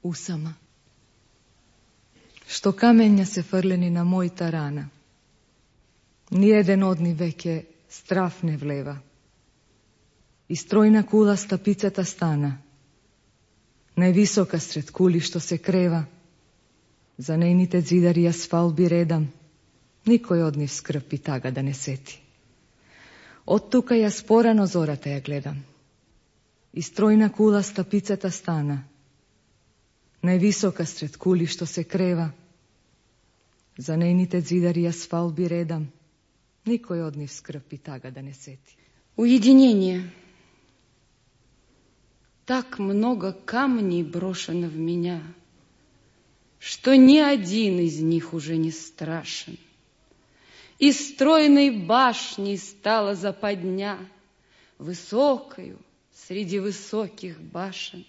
usama. Što kamenja se frljeni na mojta rana. Nijedan odni vek je straf ne vleva. I strojna kula stapicata stana, najvisoka sred kuli što se kreva, za nejnite zidari asfalbi redam, nikoj od njih skrpi taga da ne seti. Od tuka ja sporano zorata ja gledam, i strojna kula stapicata stana, najvisoka sred kuli što se kreva, za nejnite zidari asfalbi redam, nikoj od njih skrpi taga da ne seti. Уединение. Так много камней брошено в меня, что ни один из них уже не страшен. Из стройной башни стала западня, высокою среди высоких башен.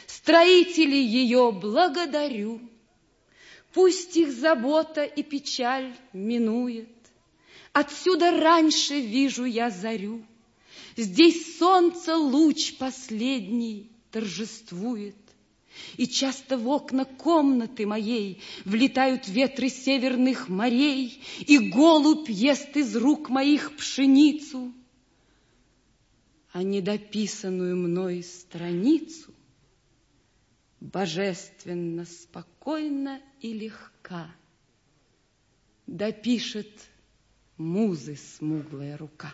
Строителей ее благодарю, пусть их забота и печаль минует. Отсюда раньше вижу я зарю, здесь солнце луч последний торжествует. И часто в окна комнаты моей влетают ветры северных морей, и голубь ест из рук моих пшеницу, а недописанную мной страницу божественно, спокойно и легка допишет музы смуглая рука.